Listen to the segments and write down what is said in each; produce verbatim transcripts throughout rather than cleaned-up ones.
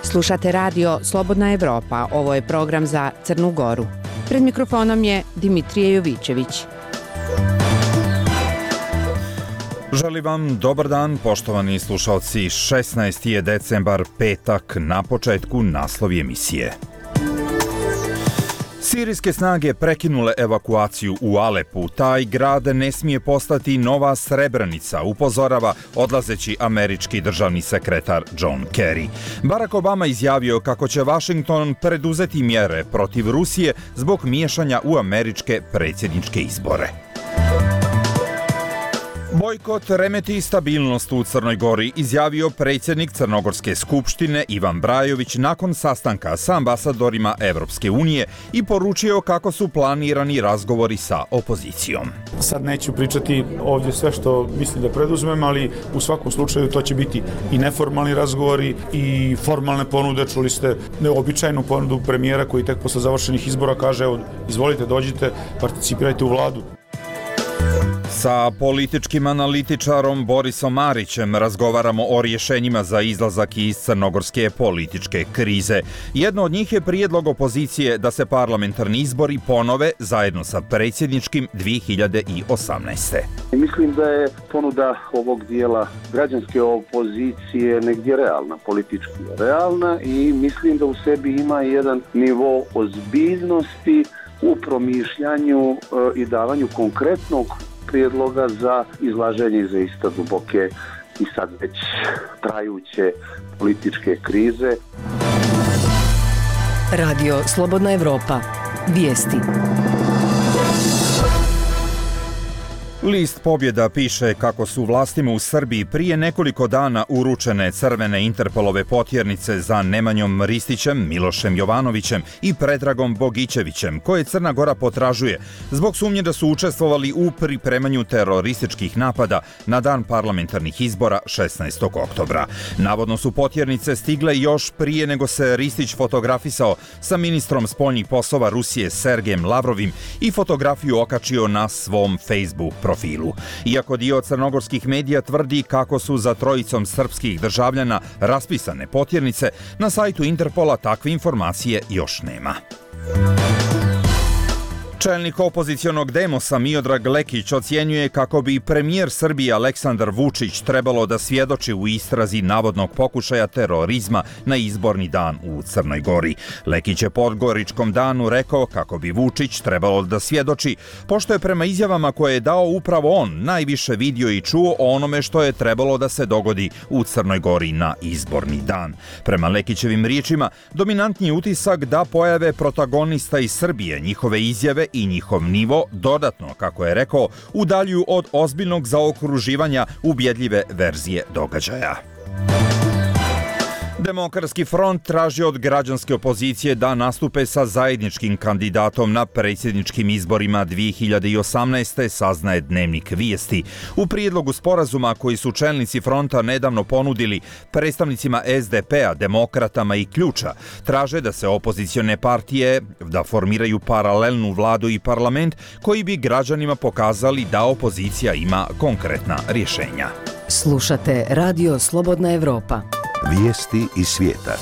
Slušate radio Slobodna Evropa, ovo je program za Crnu Goru. Pred mikrofonom je Dimitrije Jovićević. Želim vam dobar dan, poštovani slušalci. šesnaesti je decembar, petak, na početku naslovi emisije. Sirijske snage prekinule evakuaciju u Alepu. Taj grad ne smije postati nova Srebrenica, upozorava odlazeći američki državni sekretar John Kerry. Barack Obama izjavio kako će Washington preduzeti mjere protiv Rusije zbog miješanja u američke predsjedničke izbore. Bojkot remeti stabilnost u Crnoj Gori, izjavio predsjednik Crnogorske skupštine Ivan Brajović nakon sastanka sa ambasadorima Evropske unije i poručio kako su planirani razgovori sa opozicijom. Sad neću pričati ovdje sve što mislim da preduzmem, ali u svakom slučaju to će biti i neformalni razgovori i formalne ponude. Čuli ste neobičajnu ponudu premijera koji tek posle završenih izbora kaže: evo, izvolite, dođite, participirajte u vladu. Sa političkim analitičarom Borisom Marićem razgovaramo o rješenjima za izlazak iz crnogorske političke krize. Jedno od njih je prijedlog opozicije da se parlamentarni izbori ponove zajedno sa predsjedničkim dvije hiljade osamnaeste. Mislim da je ponuda ovog dijela građanske opozicije negdje realna, politički realna, i mislim da u sebi ima jedan nivo ozbiljnosti u promišljanju e, i davanju konkretnog prijedloga za izlaženje iz iste duboke i sad već trajuće političke krize. Radio Slobodna Evropa. Vijesti. List Pobjeda piše kako su vlastima u Srbiji prije nekoliko dana uručene crvene Interpolove potjernice za Nemanjom Ristićem, Milošem Jovanovićem i Predragom Bogićevićem, koje Crna Gora potražuje zbog sumnje da su učestvovali u pripremanju terorističkih napada na dan parlamentarnih izbora šesnaestog oktobra. Navodno su potjernice stigle još prije nego se Ristić fotografisao sa ministrom spoljnih poslova Rusije Sergejem Lavrovim i fotografiju okačio na svom Facebook profilu. Iako dio crnogorskih medija tvrdi kako su za trojicom srpskih državljana raspisane potjernice, na sajtu Interpola takve informacije još nema. Čelnik opozicionog Demosa Miodrag Lekić ocjenjuje kako bi premijer Srbije Aleksandar Vučić trebalo da svjedoči u istrazi navodnog pokušaja terorizma na izborni dan u Crnoj Gori. Lekić je Podgoričkom danu rekao kako bi Vučić trebalo da svjedoči, pošto je prema izjavama koje je dao upravo on najviše vidio i čuo o onome što je trebalo da se dogodi u Crnoj Gori na izborni dan. Prema Lekićevim riječima, dominantni je utisak da pojave protagonista iz Srbije, njihove izjave i njihov nivo dodatno, kako je rekao, udaljuju od ozbiljnog zaokruživanja ubjedljive verzije događaja. Demokratski front traži od građanske opozicije da nastupe sa zajedničkim kandidatom na predsjedničkim izborima dvije hiljade osamnaeste, saznaje Dnevnik Vijesti. U prijedlogu sporazuma koji su čelnici fronta nedavno ponudili predstavnicima es de pe a, demokratama i Ključa, traže da se opozicione partije da formiraju paralelnu vladu i parlament koji bi građanima pokazali da opozicija ima konkretna rješenja. Slušate Radio Slobodna Evropa. Vijesti iz svijeta.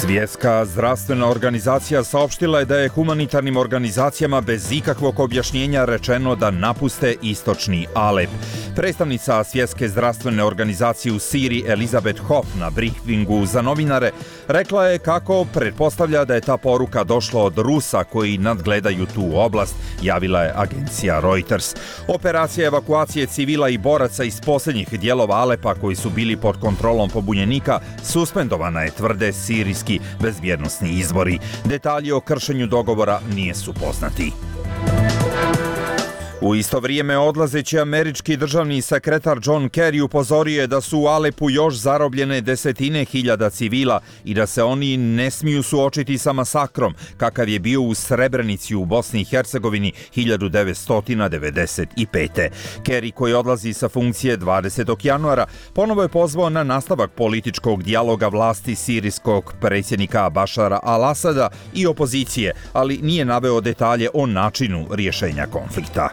Svjetska zdravstvena organizacija saopštila je da je humanitarnim organizacijama bez ikakvog objašnjenja rečeno da napuste istočni Alep. Predstavnica Svjetske zdravstvene organizacije u Siriji Elizabeth Hoff na briefingu za novinare rekla je kako pretpostavlja da je ta poruka došla od Rusa koji nadgledaju tu oblast, javila je agencija Reuters. Operacija evakuacije civila i boraca iz posljednjih dijelova Alepa koji su bili pod kontrolom pobunjenika suspendovana je, tvrde sirijski bezbjednosni izvori. Detalji o kršenju dogovora nije su poznati. U isto vrijeme odlazeći američki državni sekretar John Kerry upozorio je da su u Alepu još zarobljene desetine hiljada civila i da se oni ne smiju suočiti sa masakrom kakav je bio u Srebrenici u Bosni i Hercegovini hiljadu devetsto devedeset pete. Kerry, koji odlazi sa funkcije dvadesetog januara, ponovo je pozvao na nastavak političkog dijaloga vlasti sirijskog predsjednika Bašara al-Asada i opozicije, ali nije naveo detalje o načinu rješenja konflikta.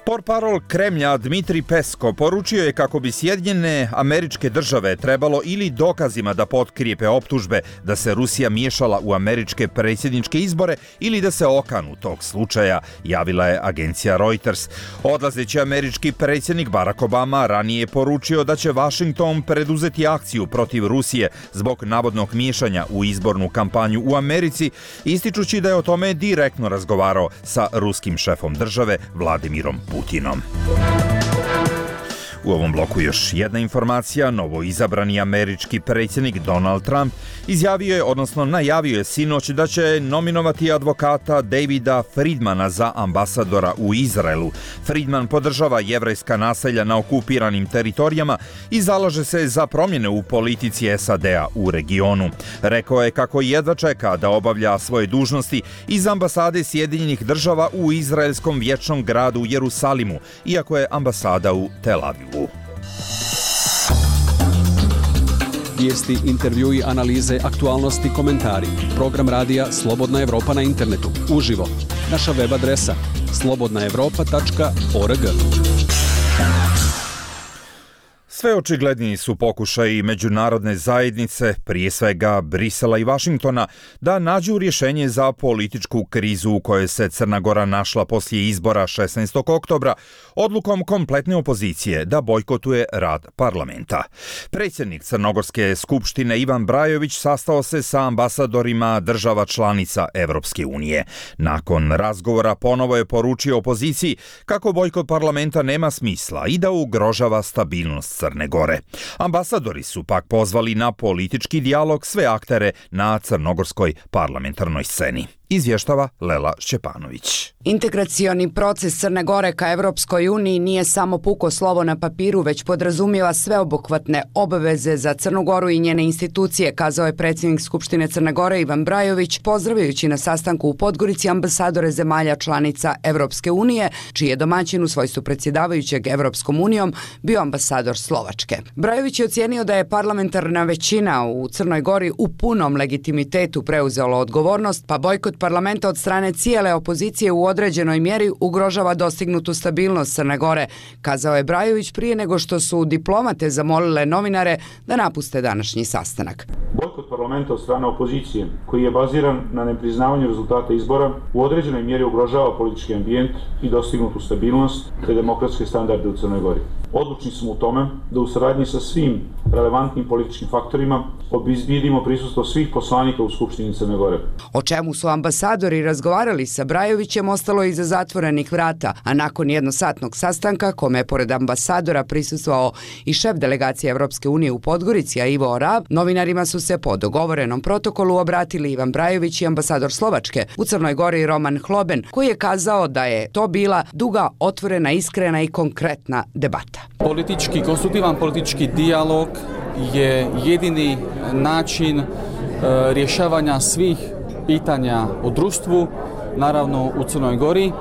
Portparol Kremlja Dmitrij Peskov poručio je kako bi Sjedinjene Američke Države trebalo ili dokazima da potkrijepe optužbe da se Rusija miješala u američke predsjedničke izbore ili da se okanu tog slučaja, javila je agencija Reuters. Odlazeći američki predsjednik Barack Obama ranije je poručio da će Washington preduzeti akciju protiv Rusije zbog navodnog miješanja u izbornu kampanju u Americi, ističući da je o tome direktno razgovarao sa ruskim šefom države Vladimirom Putinom. U ovom bloku još jedna informacija. Novoizabrani američki predsjednik Donald Trump izjavio je, odnosno najavio je sinoć da će nominovati advokata Davida Friedmana za ambasadora u Izraelu. Friedman podržava jevrejska naselja na okupiranim teritorijama i zalaže se za promjene u politici S A D-a u regionu. Rekao je kako jedva čeka da obavlja svoje dužnosti iz ambasade Sjedinjenih Država u izraelskom vječnom gradu Jerusalimu, iako je ambasada u Tel Avivu. Vijesti, intervjui, analize, aktualnosti, komentari. Program radija Slobodna Evropa na internetu. Uživo. Naša web adresa slobodna evropa tačka org. Sve očigledniji su pokušaji međunarodne zajednice, prije svega Brisela i Vašingtona, da nađu rješenje za političku krizu u kojoj se Crna Gora našla poslije izbora šesnaestog oktobra, odlukom kompletne opozicije da bojkotuje rad parlamenta. Predsjednik Crnogorske skupštine Ivan Brajović sastao se sa ambasadorima država članica Evropske unije. Nakon razgovora ponovo je poručio opoziciji kako bojkot parlamenta nema smisla i da ugrožava stabilnost Crne Gore. Ambasadori su pak pozvali na politički dijalog sve aktere na crnogorskoj parlamentarnoj sceni. Izvještava Lela Šćepanović. Integracioni proces Crne Gore ka Evropskoj uniji nije samo puko slovo na papiru, već podrazumijeva sveobuhvatne obaveze za Crnu Goru i njene institucije, kazao je predsjednik Skupštine Crne Gore Ivan Brajović, pozdravljajući na sastanku u Podgorici ambasadore zemalja članica Evropske unije, čiji je domaćin u svojstvu predsjedavajućeg Evropskom unijom bio ambasador Slovačke. Brajović je ocijenio da je parlamentarna većina u Crnoj Gori u punom legitimitetu preuzela odgovornost, pa bojkot parlamenta od strane cijele opozicije u određenoj mjeri ugrožava dostignutu stabilnost Crne Gore, kazao je Brajović prije nego što su diplomate zamolile novinare da napuste današnji sastanak. Bojkot parlamenta od strane opozicije, koji je baziran na nepriznavanju rezultata izbora, u određenoj mjeri ugrožava politički ambijent i dostignutu stabilnost te demokratske standarde u Crnoj Gori. Odlučni smo u tome da u saradnji sa svim relevantnim političkim faktorima obezbijedimo prisustvo svih poslanika u Skupštini Crne Gore. O čemu su ambasadori razgovarali sa Brajovićem ostalo je iza zatvorenih vrata, a nakon jednosatnog sastanka, kome je pored ambasadora prisustvovao i šef delegacije Evropske unije u Podgorici, a Ivo Orab, novinarima su se po dogovorenom protokolu obratili Ivan Brajović i ambasador Slovačke u Crnoj Gori Roman Hloben, koji je kazao da je to bila duga, otvorena, iskrena i konkretna debata. Politički, konstruktivan politički dijalog je jedini način e, rješavanja svih pitanja u društvu, naravno u Crnoj Gori. E,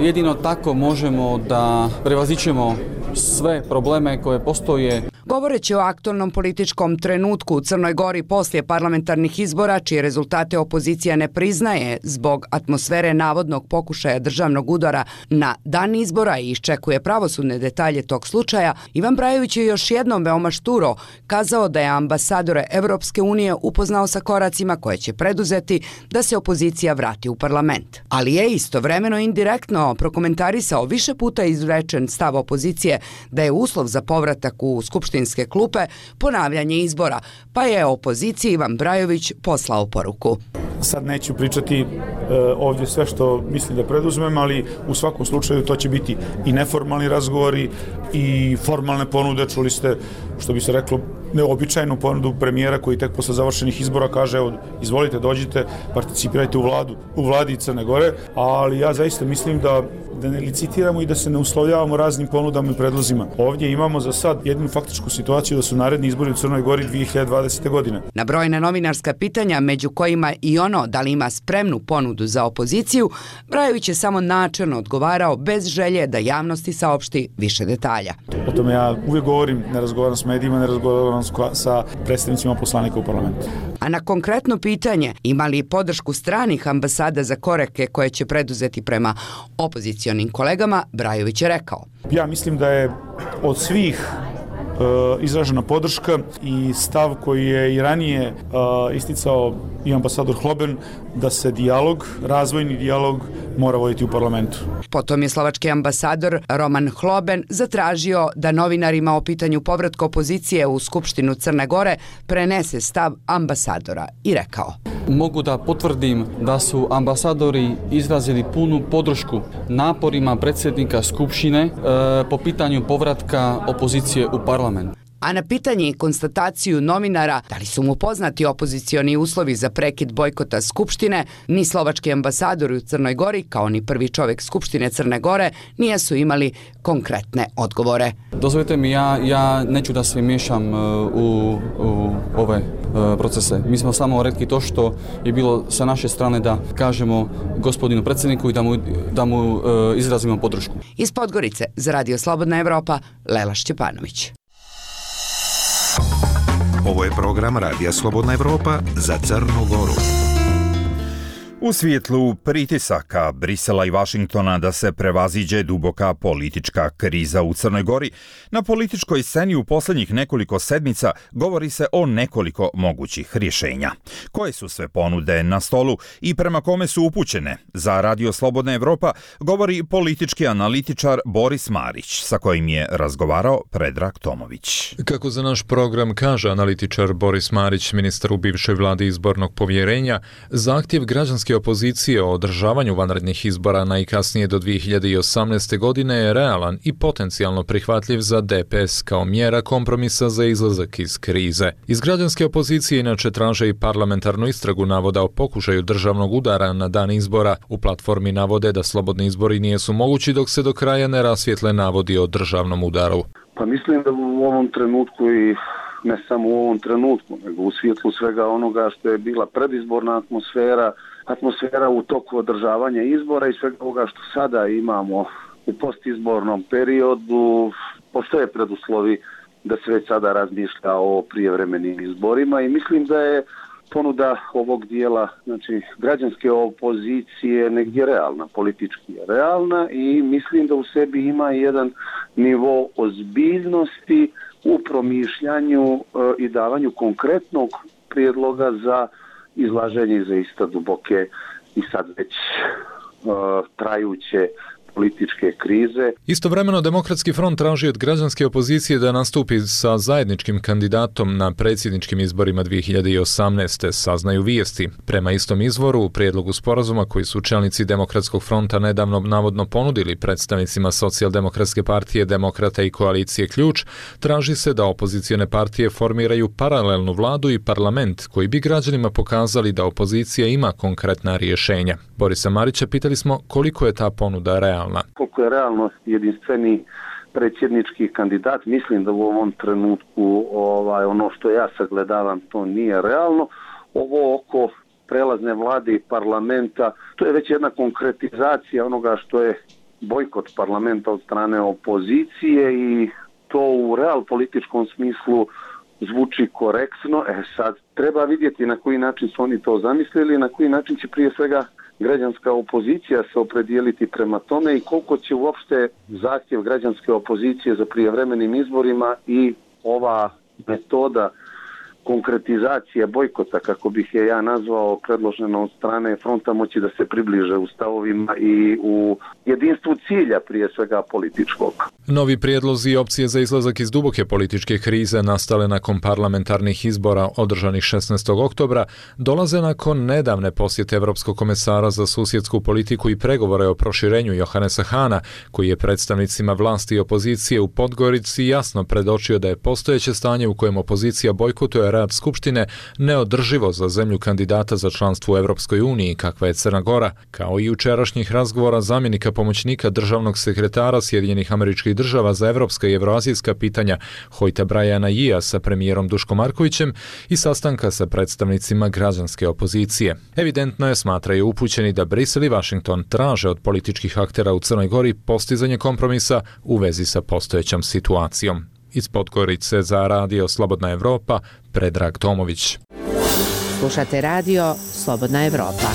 jedino tako možemo da prevazićemo sve probleme koje postoje. Govoreći o aktualnom političkom trenutku u Crnoj Gori poslije parlamentarnih izbora, čije rezultate opozicija ne priznaje zbog atmosfere navodnog pokušaja državnog udara na dan izbora i iščekuje pravosudne detalje tog slučaja, Ivan Brajović je još jednom veoma šturo kazao da je ambasadore Evropske unije upoznao sa koracima koje će preduzeti da se opozicija vrati u parlament. Ali je istovremeno indirektno prokomentarisao više puta izrečen stav opozicije da je uslov za povratak u skupštinske klupe ponavljanje izbora, pa je opoziciji Ivan Brajović poslao poruku. Sad neću pričati e, ovdje sve što mislim da preduzmem, ali u svakom slučaju to će biti i neformalni razgovori, i formalne ponude. Čuli ste, što bi se reklo, neobičajnu ponudu premijera koji tek posle završenih izbora kaže evo, izvolite, dođite, participirajte u, vladu, u vladi Crne Gore, ali ja zaista mislim da, da ne licitiramo i da se ne uslovljavamo raznim ponudama i predlozima. Ovdje imamo za sad jednu faktičku situaciju da su naredni izbori u Crnoj Gori dvije hiljade dvadesete. godine. Na brojna novinarska pitanja, među kojima i ono da li ima spremnu ponudu za opoziciju, Brajović je samo načelno odgovarao bez želje da javnosti saopšti više detalja. O tome ja uvijek govorim, ne razgovaram s medijima, ne razgovaram sa predstavnicima poslanika u parlamentu. A na konkretno pitanje ima li podršku stranih ambasada za korake koje će preduzeti prema opozicionim kolegama, Brajović je rekao. Ja mislim da je od svih izražena podrška i stav koji je i ranije uh, isticao i ambasador Hloben da se dijalog, razvojni dijalog mora voditi u parlamentu. Potom je slovački ambasador Roman Hloben zatražio da novinarima o pitanju povratka opozicije u Skupštinu Crne Gore prenese stav ambasadora i rekao: Mogu da potvrdim da su ambasadori izrazili punu podršku naporima predsjednika Skupštine e, po pitanju povratka opozicije u parlament. A na pitanje i konstataciju novinara da li su mu poznati opozicioni uslovi za prekid bojkota Skupštine, ni slovački ambasadori u Crnoj Gori, kao ni prvi čovjek Skupštine Crne Gore, nisu imali konkretne odgovore. Dozvolite mi, ja, ja neću da se miješam u, u ove procese. Mi smo samo rekli to što je bilo sa naše strane da kažemo gospodinu predsjedniku i da mu, da mu izrazimo podršku. Iz Podgorice za Radio Slobodna Evropa, Lela Šćepanović. Ovo je program Radija Slobodna Evropa za Crnu Goru. U svjetlu pritisaka Brisela i Vašingtona da se prevaziđe duboka politička kriza u Crnoj Gori, na političkoj sceni u posljednjih nekoliko sedmica govori se o nekoliko mogućih rješenja. Koje su sve ponude na stolu i prema kome su upućene? Za Radio Slobodna Evropa govori politički analitičar Boris Marić, sa kojim je razgovarao Predrag Tomović. Kako za naš program kaže analitičar Boris Marić, ministar u bivšoj vladi izbornog povjerenja, zahtjev građanske opozicije o održavanju vanrednih izbora najkasnije do dvije hiljade osamnaeste. godine je realan i potencijalno prihvatljiv za D P S kao mjera kompromisa za izlazak iz krize. Iz građanske opozicije inače traže i parlamentarnu istragu navoda o pokušaju državnog udara na dan izbora. U platformi navode da slobodni izbori nisu mogući dok se do kraja ne rasvijetle navodi o državnom udaru. Pa mislim da u ovom trenutku i ne samo u ovom trenutku, nego u svjetlu svega onoga što je bila predizborna atmosfera, atmosfera u toku održavanja izbora i svega ovoga što sada imamo u postizbornom periodu, postoje preduslovi da se već sada razmišlja o prijevremenim izborima i mislim da je ponuda ovog dijela, znači građanske opozicije, negdje realna, politički je realna i mislim da u sebi ima jedan nivo ozbiljnosti u promišljanju e, i davanju konkretnog prijedloga za izlaženje iza ista duboke i sad već e, trajuće političke krize. Istovremeno Demokratski front traži od građanske opozicije da nastupi sa zajedničkim kandidatom na predsjedničkim izborima dvije hiljade osamnaeste. saznaju vijesti. Prema istom izvoru, u prijedlogu sporazuma koji su čelnici Demokratskog fronta nedavno navodno ponudili predstavnicima Socijaldemokratske partije, Demokrata i koalicije Ključ, traži se da opozicione partije formiraju paralelnu vladu i parlament koji bi građanima pokazali da opozicija ima konkretna rješenja. Borisa Marića pitali smo koliko je ta ponuda realna. Koliko je realno jedinstveni predsjednički kandidat, mislim da u ovom trenutku ovaj, ono što ja sagledavam to nije realno. Ovo oko prelazne vlade i parlamenta, to je već jedna konkretizacija onoga što je bojkot parlamenta od strane opozicije i to u real političkom smislu zvuči korektno. E sad, treba vidjeti na koji način su oni to zamislili, na koji način će prije svega građanska opozicija se opredijeliti prema tome i koliko će uopšte zahtjev građanske opozicije za prijevremenim izborima i ova metoda konkretizacija bojkota, kako bih je ja nazvao, predložena od strane fronta moći da se približe u stavovima i u jedinstvu cilja, prije svega političkog. Novi prijedlozi i opcije za izlazak iz duboke političke krize nastale nakon parlamentarnih izbora održanih šesnaestog oktobra dolaze nakon nedavne posjete Evropskog komesara za susjedsku politiku i pregovore o proširenju Johanesa Hana, koji je predstavnicima vlasti i opozicije u Podgorici jasno predočio da je postojeće stanje u kojem opozicija bojkotuje rad Skupštine neodrživo za zemlju kandidata za članstvo u Evropskoj uniji, kakva je Crna Gora, kao i jučerašnjih razgovora zamjenika pomoćnika državnog sekretara Sjedinjenih Američkih Država za evropska i evroazijska pitanja Hojta Brajana Jija sa premijerom Duškom Markovićem i sastanka sa predstavnicima građanske opozicije. Evidentno je, smatraju upućeni, da Brisel i Washington traže od političkih aktera u Crnoj Gori postizanje kompromisa u vezi sa postojećom situacijom. Iz Podgorice za Radio Slobodna Evropa, Predrag Tomović. Slušate Radio Slobodna Evropa.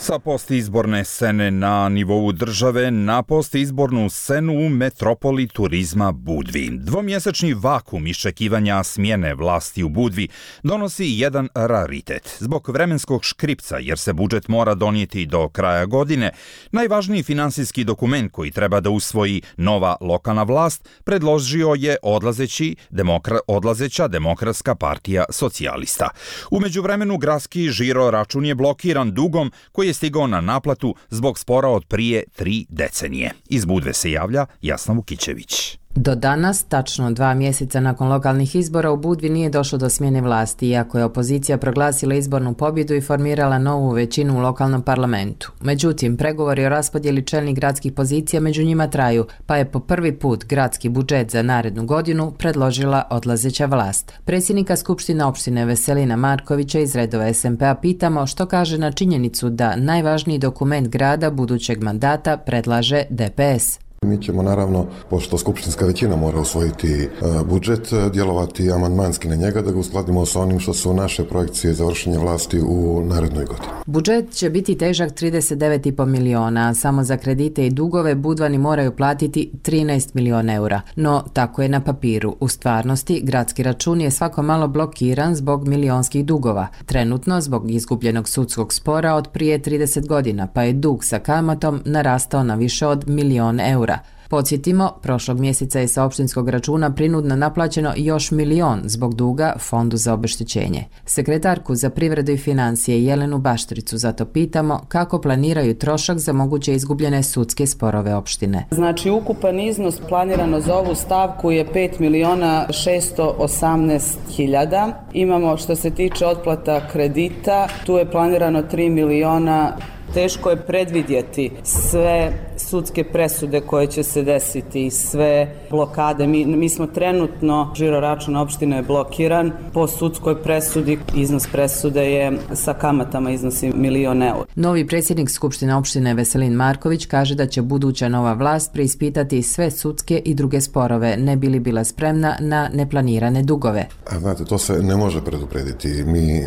Sa postizborne scene na nivou države na postizbornu scenu u metropoli turizma Budvi. Dvomjesečni vakum iščekivanja smjene vlasti u Budvi donosi jedan raritet. Zbog vremenskog škripca, jer se budžet mora donijeti do kraja godine, najvažniji finansijski dokument koji treba da usvoji nova lokalna vlast predložio je odlazeći demokra, odlazeća Demokratska partija socijalista. U međuvremenu gradski žiro račun je blokiran dugom koji je stigao na naplatu zbog spora od prije tri decenije. Iz Budve se javlja Jasna Vukićević. Do danas, tačno dva mjeseca nakon lokalnih izbora, u Budvi nije došlo do smjene vlasti, iako je opozicija proglasila izbornu pobjedu i formirala novu većinu u lokalnom parlamentu. Međutim, pregovori o raspodjeli čelnih gradskih pozicija među njima traju, pa je po prvi put gradski budžet za narednu godinu predložila odlazeća vlast. Predsjednika Skupštine opštine Veselina Markovića iz redova es em pe-a pitamo što kaže na činjenicu da najvažniji dokument grada budućeg mandata predlaže de pe es. Mi ćemo naravno, pošto skupštinska većina mora usvojiti budžet, djelovati amandmanski na njega da ga uskladimo sa onim što su naše projekcije za vršenje vlasti u narednoj godini. Budžet će biti težak trideset devet i po miliona, a samo za kredite i dugove Budvani moraju platiti trinaest miliona eura. No, tako je na papiru. U stvarnosti, gradski račun je svako malo blokiran zbog milionskih dugova. Trenutno, zbog izgubljenog sudskog spora od prije trideset godina, pa je dug sa kamatom narastao na više od milion eura. Podsjetimo, prošlog mjeseca je sa opštinskog računa prinudno naplaćeno još milion zbog duga Fondu za obeštećenje. Sekretarku za privredu i financije Jelenu Baštricu zato pitamo kako planiraju trošak za moguće izgubljene sudske sporove opštine. Znači, ukupan iznos planirano za ovu stavku je pet miliona šesto osamnaest hiljada. Imamo, što se tiče otplata kredita, tu je planirano tri miliona. Teško je predvidjeti sve sudske presude koje će se desiti i sve blokade. Mi, mi smo trenutno, žiro račun opštine je blokiran. Po sudskoj presudi iznos presude je sa kamatama iznosi milion eura. Novi predsjednik Skupštine opštine Veselin Marković kaže da će buduća nova vlast preispitati sve sudske i druge sporove, ne bi li bila spremna na neplanirane dugove. A znate, to se ne može preduprediti. Mi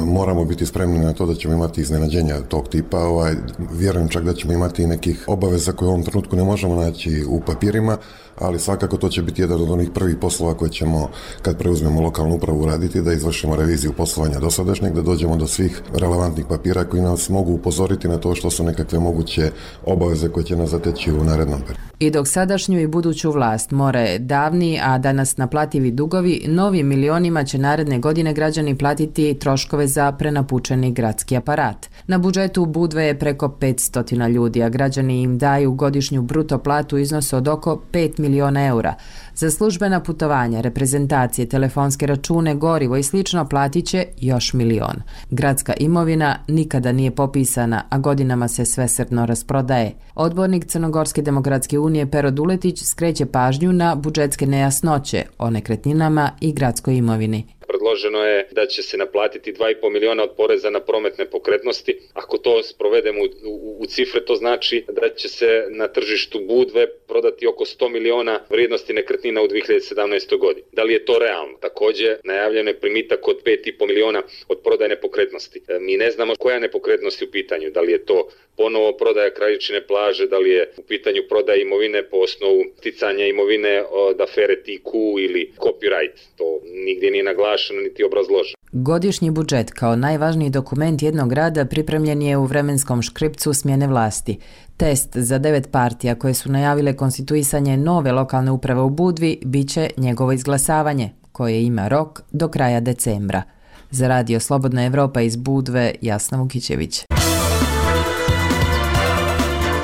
moramo biti spremni na to da ćemo imati iznenađenja tog tipa. Ovaj, vjerujem čak da ćemo imati i nekih obaveza koje u ovom trenutku ne možemo naći u papirima, ali svakako to će biti jedan od onih prvih poslova koje ćemo, kad preuzmemo lokalnu upravu, raditi, da izvršimo reviziju poslovanja dosadašnjeg, da dođemo do svih relevantnih papira koji nas mogu upozoriti na to što su nekakve moguće obaveze koje će nas zateći u narednom periodu. I dok sadašnju i buduću vlast more davni, a danas naplativi dugovi, novim milionima će naredne godine građani platiti troškove za prenapučeni gradski aparat. Na budžetu Budve je preko petsto ljudi, a građani im daju godišnju bruto platu u iznosu od oko pet miliona eura. Za službena putovanja, reprezentacije, telefonske račune, gorivo i slično platit će još milion. Gradska imovina nikada nije popisana, a godinama se svesrdno rasprodaje. Odbornik Crnogorske demokratske unije Pero Duletić skreće pažnju na budžetske nejasnoće o nekretninama i gradskoj imovini. Predloženo je da će se naplatiti dva i po miliona od poreza na prometne pokretnosti. Ako to sprovedemo u, u, u cifre, to znači da će se na tržištu Budve prodati oko sto miliona vrijednosti nekretnina u dvije hiljade sedamnaestoj godini. Da li je to realno? Također najavljeno je primitak od pet i po miliona od prodaje nepokretnosti. Mi ne znamo koja nepokretnost je u pitanju. Da li je to ponovo prodaja Kraljičine plaže, da li je u pitanju prodaja imovine po osnovu sticanja imovine od afere T Q ili copyright. To nigdje nije naglašeno. usaglašeno niti obrazloženo. Godišnji budžet kao najvažniji dokument jednog grada pripremljen je u vremenskom škripcu smjene vlasti. Test za devet partija koje su najavile konstituisanje nove lokalne uprave u Budvi bit će njegovo izglasavanje, koje ima rok do kraja decembra. Za Radio Slobodna Evropa iz Budve, Jasna Vukićević.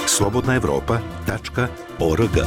slobodna evropa tačka org.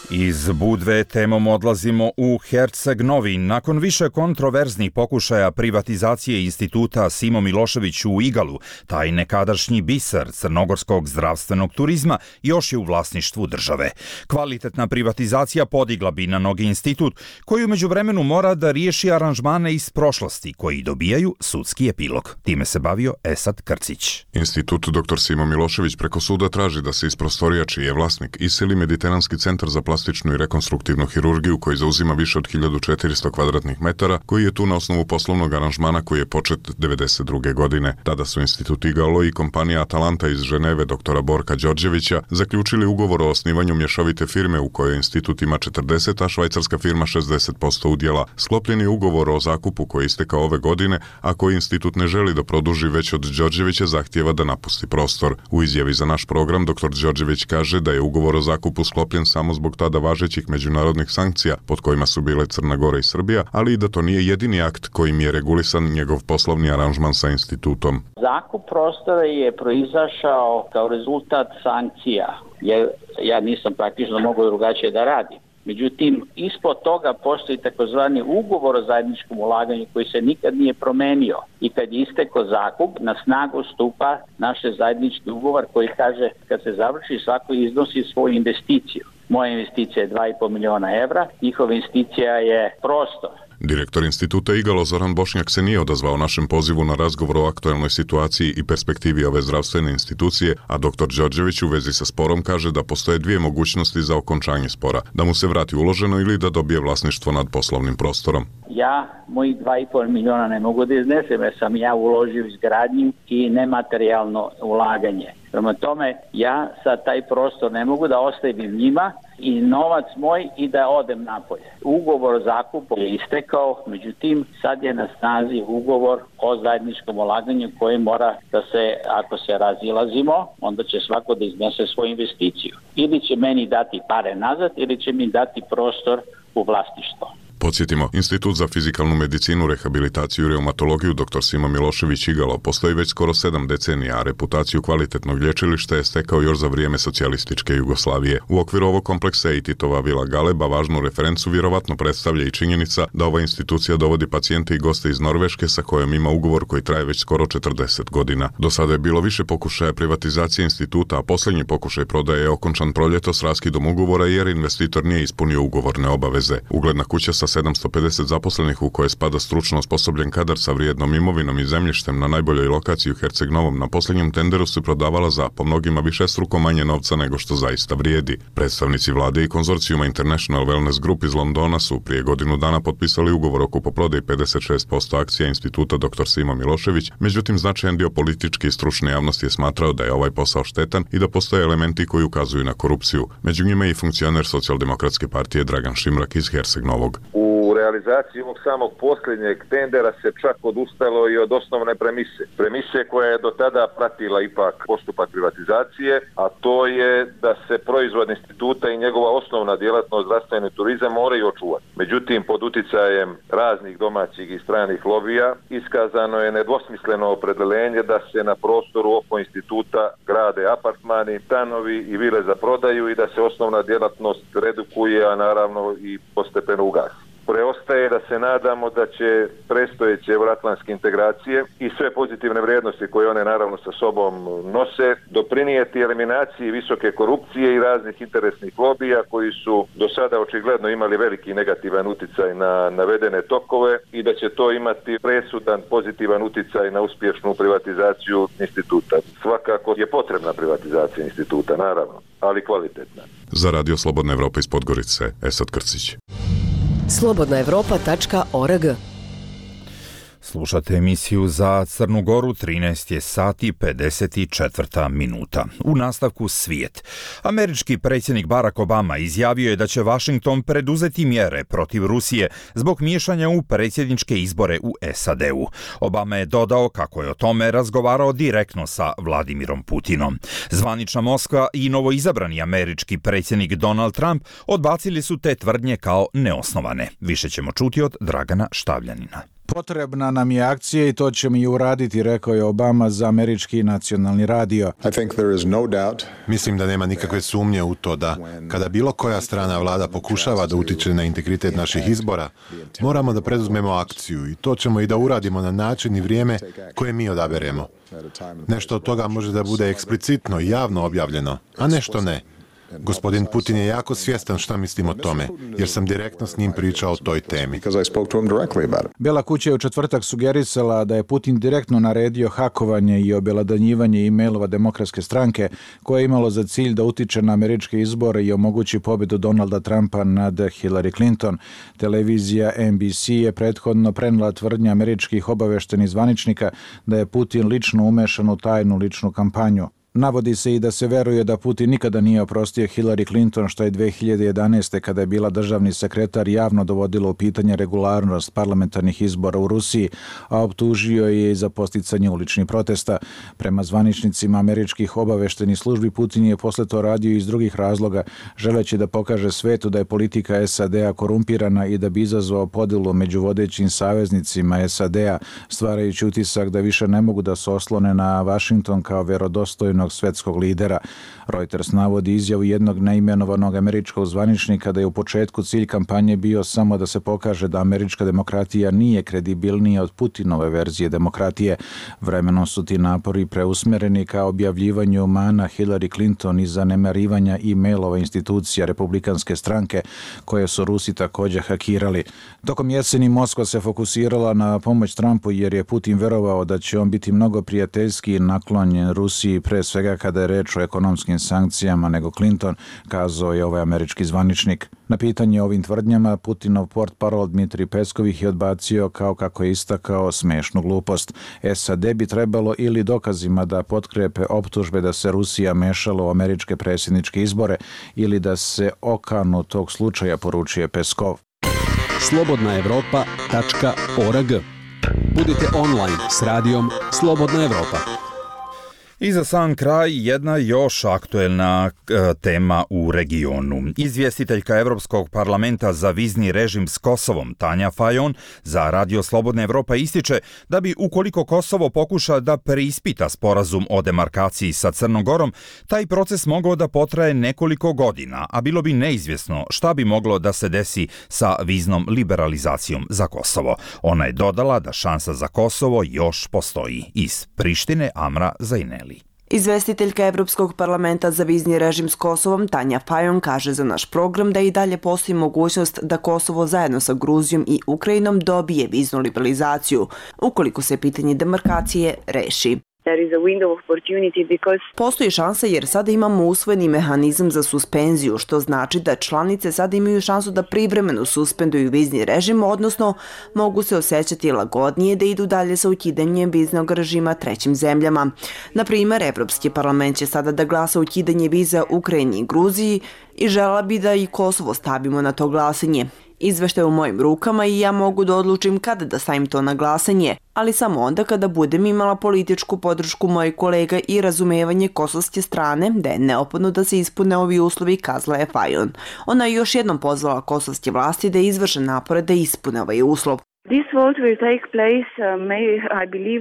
Iz Budve temom odlazimo u Herceg Novi. Nakon više kontroverznih pokušaja privatizacije instituta Simo Milošević u Igalu, taj nekadašnji biser crnogorskog zdravstvenog turizma još je u vlasništvu države. Kvalitetna privatizacija podigla bi na noge institut, koji u međuvremenu mora da riješi aranžmane iz prošlosti, koji dobijaju sudski epilog. Time se bavio Esad Krcić. Institut doktor Simo Milošević preko suda traži da se iz prostorija čiji je vlasnik iseli Mediteranski centar za plastičnu i rekonstruktivnu hirurgiju koji zauzima više od hiljadu četiristo kvadratnih metara, koji je tu na osnovu poslovnog aranžmana koji je počet devedeset druge. godine. Tada su Institut Igalo i kompanija Atalanta iz Ženeve doktora Borka Đorđevića zaključili ugovor o osnivanju mješovite firme u kojoj institut ima četrdeset, a švajcarska firma šezdeset posto udjela. Sklopljen je ugovor o zakupu koji je istekao ove godine, a koji institut ne želi da produži, već od Đorđevića zahtijeva da napusti prostor. U izjavi za naš program doktor Đorđević kaže da je ugovor o zakupu sklopljen samo zbog tada važećih međunarodnih sankcija pod kojima su bile Crna Gora i Srbija, ali i da to nije jedini akt kojim je regulisan njegov poslovni aranžman sa institutom. Zakup prostora je proizašao kao rezultat sankcija, jer ja nisam praktično mogao drugačije da radim. Međutim, ispod toga postoji takozvani ugovor o zajedničkom ulaganju koji se nikad nije promenio. I kad je istekao zakup, na snagu stupa naš zajednički ugovor koji kaže kad se završi svako iznosi svoju investiciju. Moja investicija je dva i po miliona evra, njihova investicija je prostor. Direktor instituta Igalo Zoran Bošnjak se nije odazvao našem pozivu na razgovor o aktualnoj situaciji i perspektivi ove zdravstvene institucije, a doktor Đorđević u vezi sa sporom kaže da postoje dvije mogućnosti za okončanje spora, da mu se vrati uloženo ili da dobije vlasništvo nad poslovnim prostorom. Ja mojih dva i po miliona ne mogu da iznesem, jer sam ja uložio izgradnju i nematerijalno ulaganje. Prema tome, ja sad taj prostor ne mogu da ostavim njima i novac moj i da odem napolje. Ugovor o zakupu je istekao, međutim sad je na snazi ugovor o zajedničkom ulaganju koji mora da se, ako se razilazimo, onda će svako da iznese svoju investiciju. Ili će meni dati pare nazad ili će mi dati prostor u vlasništvo. Podsjetimo, Institut za fizikalnu medicinu, rehabilitaciju i reumatologiju doktor Simo Milošević Igalo postoji već skoro sedam decenija, a reputaciju kvalitetnog lječilišta je stekao još za vrijeme socijalističke Jugoslavije. U okviru ovog kompleksa i Titova vila Galeba važnu referencu vjerovatno predstavlja i činjenica da ova institucija dovodi pacijente i goste iz Norveške sa kojom ima ugovor koji traje već skoro četrdeset godina. Do sada je bilo više pokušaja privatizacije instituta, a posljednji pokušaj prodaje je okončan proljetos raskidom ugovora jer investitor nije ispunio ugovorne obaveze. Ugledna kuća sa sedamsto pedeset zaposlenih u koje spada stručno osposobljen kadar sa vrijednom imovinom i zemljištem na najboljoj lokaciji u Herceg Novom na posljednjem tenderu se prodavala za po mnogima višestruko manje novca nego što zaista vrijedi. Predstavnici vlade i konzorcijuma International Wellness Group iz Londona su prije godinu dana potpisali ugovor o kupoprodaji pedeset šest posto akcija instituta doktor Simo Milošević, međutim značajan dio političke i stručne javnosti je smatrao da je ovaj posao štetan i da postoje elementi koji ukazuju na korupciju. Među njima je i funkcioner Socijaldemokratske partije Dragan Šimrak iz Herceg Novog. U realizaciji ovog samog posljednjeg tendera se čak odustalo i od osnovne premise. Premise koja je do tada pratila ipak postupak privatizacije, a to je da se proizvod instituta i njegova osnovna djelatnost zdravstveni turizam moraju očuvati. Međutim, pod uticajem raznih domaćih i stranih lobija iskazano je nedvosmisleno opredjeljenje da se na prostoru oko instituta grade apartmani, stanovi i vile za prodaju i da se osnovna djelatnost redukuje, a naravno i postepeno ugasi. Preostaje da se nadamo da će predstojeće euroatlantske integracije i sve pozitivne vrijednosti koje one naravno sa sobom nose doprinijeti eliminaciji visoke korupcije i raznih interesnih lobija koji su do sada očigledno imali veliki negativan uticaj na navedene tokove i da će to imati presudan pozitivan uticaj na uspješnu privatizaciju instituta. Svakako je potrebna privatizacija instituta, naravno, ali kvalitetna. Za Radio Slobodna Evropa iz Podgorice, Esad Krcić. slobodna evropa tačka org. Slušate emisiju za Crnu Goru, trinaest je sati pedeset četiri minuta. U nastavku svijet. Američki predsjednik Barack Obama izjavio je da će Washington preduzeti mjere protiv Rusije zbog miješanja u predsjedničke izbore u S A D-u. Obama je dodao kako je o tome razgovarao direktno sa Vladimirom Putinom. Zvanična Moskva i novoizabrani američki predsjednik Donald Trump odbacili su te tvrdnje kao neosnovane. Više ćemo čuti od Dragana Štavljanina. Potrebna nam je akcija i to ćemo i uraditi, rekao je Obama za američki nacionalni radio. No Mislim da nema nikakve sumnje u to da, kada bilo koja strana vlada pokušava da utiče na integritet naših izbora, moramo da preduzmemo akciju i to ćemo i da uradimo na način i vrijeme koje mi odaberemo. Nešto od toga može da bude eksplicitno i javno objavljeno, a nešto ne. Gospodin Putin je jako svjestan šta mislim o tome, jer sam direktno s njim pričao o toj temi. Bela kuća je u četvrtak sugerisala da je Putin direktno naredio hakovanje i objelodanjivanje e-mailova Demokratske stranke, koje je imalo za cilj da utiče na američke izbore i omogući pobjedu Donalda Trumpa nad Hillary Clinton. Televizija N B C je prethodno prenijela tvrdnje američkih obaveštenih zvaničnika da je Putin lično umešan u tajnu ličnu kampanju. Navodi se i da se veruje da Putin nikada nije oprostio Hillary Clinton, što je dve hiljade jedanaeste. kada je bila državni sekretar javno dovodilo u pitanje regularnost parlamentarnih izbora u Rusiji, a optužio je i za posticanje uličnih protesta. Prema zvaničnicima američkih obaveštenih službi, Putin je posle to radio iz drugih razloga, želeći da pokaže svetu da je politika S A D-a korumpirana i da bi izazvao podelu među vodećim saveznicima S A D-a, stvarajući utisak da više ne mogu da se oslone na Washington kao vjerodostojno svetskog lidera. Reuters navodi izjavu jednog neimenovanog američkog zvaničnika da je u početku cilj kampanje bio samo da se pokaže da američka demokratija nije kredibilnija od Putinove verzije demokratije. Vremenom su ti napori preusmjereni ka objavljivanju mana Hillary Clinton i zanemarivanja e-mailova institucija republikanske stranke, koje su Rusi također hakirali. Tokom jeseni Moskva se fokusirala na pomoć Trumpu jer je Putin verovao da će on biti mnogo prijateljski naklonjen Rusiji, pre svega kada je reč o ekonomskim sankcijama, nego Clinton, kazao je ovaj američki zvaničnik. Na pitanje o ovim tvrdnjama, Putinov portparol Dmitrij Peskov ih je odbacio kao, kako je istakao, smešnu glupost. S A D bi trebalo ili dokazima da potkrepe optužbe da se Rusija mešala u američke predsjedničke izbore ili da se okanu tog slučaja, poručuje Peskov. slobodna evropa tačka org. Budite online s radijom Slobodna Evropa. I za sam kraj jedna još aktuelna e, tema u regionu. Izvjestiteljka Evropskog parlamenta za vizni režim s Kosovom, Tanja Fajon, za Radio Slobodna Evropa ističe da bi, ukoliko Kosovo pokuša da preispita sporazum o demarkaciji sa Crnom Gorom, taj proces mogao da potraje nekoliko godina, a bilo bi neizvjesno šta bi moglo da se desi sa viznom liberalizacijom za Kosovo. Ona je dodala da šansa za Kosovo još postoji. Iz Prištine, Amra Zajneli. Izvestiteljka Evropskog parlamenta za vizni režim s Kosovom, Tanja Fajon, kaže za naš program da i dalje postoji mogućnost da Kosovo zajedno sa Gruzijom i Ukrajinom dobije viznu liberalizaciju, ukoliko se pitanje demarkacije reši. Postoji šansa jer sada imamo usvojeni mehanizam za suspenziju, što znači da članice sada imaju šansu da privremeno suspenduju vizni režim, odnosno mogu se osjećati lagodnije da idu dalje sa ukidanjem viznog režima trećim zemljama. Na primjer, Evropski parlament će sada da glasa ukidanje viza Ukrajini i Gruziji i žela bi da i Kosovo stavimo na to glasanje. Izveštaj u mojim rukama i ja mogu da odlučim kada da stavim to na glasanje, ali samo onda kada budem imala političku podršku mojih kolega i razumevanje kosovske strane da je neophodno da se ispune ovi uslovi, kazala je Fajon. Ona je još jednom pozvala kosovske vlasti da izvrše napore da ispune ovaj uslov.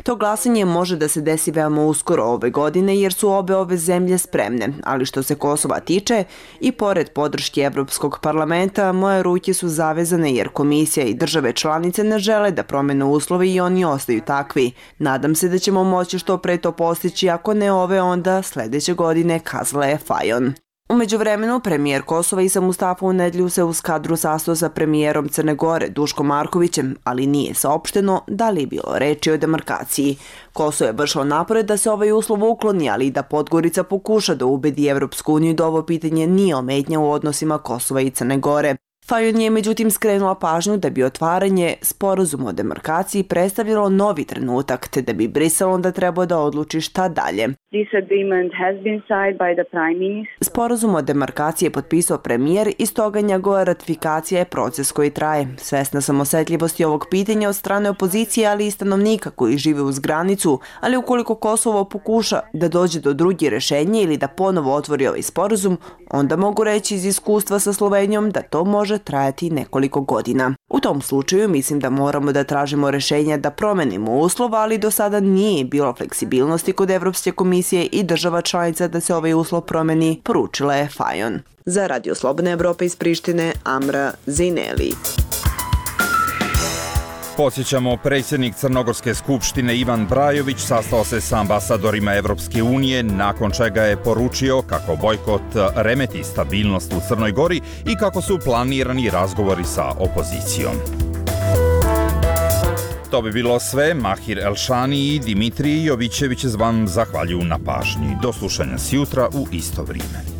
To glasanje može da se desi veoma uskoro ove godine jer su obe ove zemlje spremne, ali što se Kosova tiče, i pored podrške Evropskog parlamenta, moje ruke su zavezane jer komisija i države članice ne žele da promene uslove i oni ostaju takvi. Nadam se da ćemo moći što pre to postići, ako ne ove onda sljedeće godine, kazala je Fajon. U međuvremenu, premijer Kosova Isa Mustafa u nedjelju se uz kadru sastao sa premijerom Crne Gore Duškom Markovićem, ali nije saopšteno da li je bilo reči o demarkaciji. Kosovo je vršilo napore da se ovaj uslov ukloni, ali i da Podgorica pokuša da ubedi Evropsku uniju da ovo pitanje nije ometnja u odnosima Kosova i Crne Gore. Fajon je međutim skrenula pažnju da bi otvaranje sporazuma o demarkaciji predstavljalo novi trenutak, te da bi Brisel onda trebao da odluči šta dalje. Sporazum o demarkaciji je potpisao premijer i stoga njegova ratifikacija je proces koji traje. Svesna sam osetljivosti ovog pitanja od strane opozicije, ali i stanovnika koji žive uz granicu, ali ukoliko Kosovo pokuša da dođe do druge rešenje ili da ponovo otvori ovaj sporazum, onda mogu reći iz iskustva sa Slovenijom da to može trajati nekoliko godina. U tom slučaju mislim da moramo da tražimo rešenja da promenimo uslov, ali do sada nije bilo fleksibilnosti kod Evropske komisije i država članica da se ovaj uslov promeni, poručila je Fajon. Za Radio Slobodna Evropa iz Prištine, Amra Zineli. Podsjećamo, predsjednik Crnogorske skupštine Ivan Brajović sastao se sa ambasadorima Evropske unije, nakon čega je poručio kako bojkot remeti stabilnost u Crnoj Gori i kako su planirani razgovori sa opozicijom. To bi bilo sve. Mahir Elšani i Dimitrij Jovićević vam zahvaljuju na pažnji. Do slušanja sjutra u isto vrijeme.